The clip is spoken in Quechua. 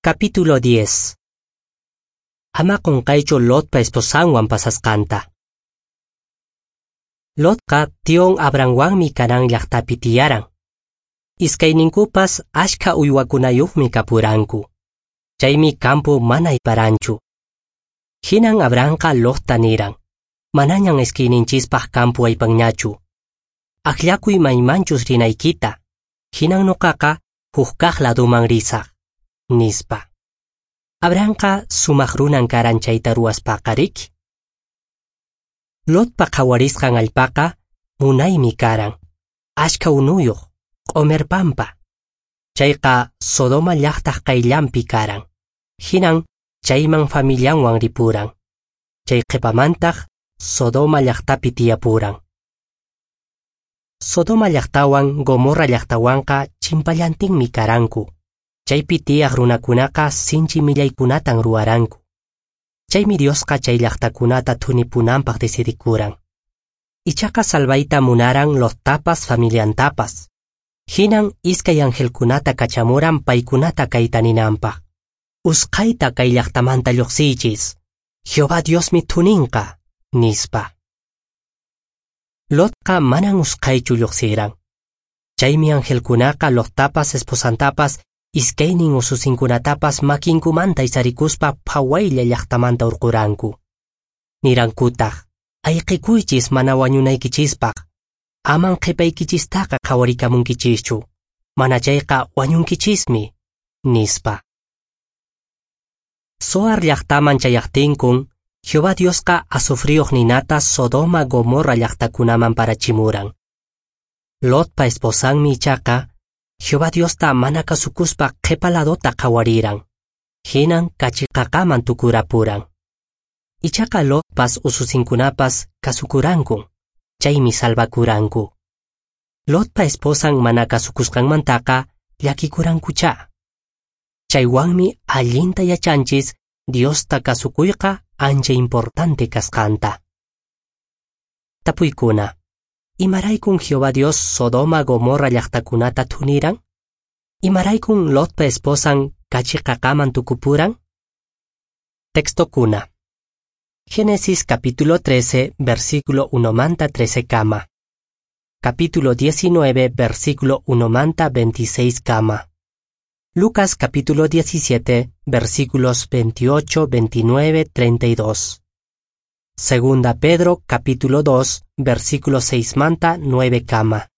Capítulo 10. Ama qunqaychu Lotpa esposanwan pasasqanta. Lotqa tion Abrahamwanmi Canaán llaqtapi tiyaran. Iskayninkupas ashka uywakunayuqmi kapuranku. Chaymi campo mana ayparanchu. Hinan Abrahamqa Lotta niran: Manañan iskayninchispaq campo aypanñachu. Akllakuy maymanchus rinaykita. Hinan nuqaqa hukkaq laduman risaq, nispa. Abrahamqa sumaq runan karan chayta ruwaspaqa, riki? Lotpa qhawarisqan allpaqa munaymi karan, ashka unuyuq, q'omer pampa. Chayqa Sodoma llaqtaq qayllanpi karan. Hinan chayman familianwan ripuran. Chay qhipamantaq Sodoma llaqtapi tiyapuran. Sodoma llaqtawan Gomorra llaqtawanqa chimpallantinmi karanku. Chaypi tiyaq runakunaqa sinchi millaykunatan ruwaranku. Chaymi Diosqa chay llaqtakunata thunipunanpaq decidikuran. Ichaqa salvayta munaran Lottapas familiantapas. Hinan iskay angelkunata kachamuran paykunata kayta ninanpaq: Usqhayta kay llaqtamanta lluqsiychis. Jehová Diosmi thuninqa, nispa. Lotqa manan usqhaychu lluqsiran. Chaymi angelkunaqa Lottapas esposantapas iskaynin ususinkunatapas makinkumanta aysarikuspa phawaylla llaqtamanta hurquranku. Nirankutaq: Ayqikuychis mana wañunaykichispaq. Aman qhipaykichistaqa qhawarikamunkichischu. Mana chayqa wañunkichismi, nispa. Zoar llaqtaman chayaqtinkun, Jehová Diosqa azufriyuq ninata Sodoma Gomorra llaqtakunaman parachimuran. Lotpa esposanmi ichaqa Jehová Diosta mana kasukuspa qhipa ladota qhawariran. Hinan kachiqaqaman tukurapuran. Ichaqa Lotpas ususinkunapas kasukurankun, chaymi salvakuranku. Lotpa esposan mana kasukusqanmantaqa llakikurankuchá. Chaywanmi allinta yachanchis Diosta kasukuyqa ancha importante kasqanta. Tapuykuna: Imaraykun Jehová Dios Sodoma Gomorra llaqtakunata thuniran? Imaraykun Lotpa esposan kachiqaqaman tukupuran? Textokuna. Génesis capítulo 13, versículo 1 manta 13 kama. Capítulo 19, versículo 1 manta 26 kama. Lucas capítulo 17, versículos 28, 29, 32. Segunda Pedro capítulo 2, versículo 6 manta 9 kama.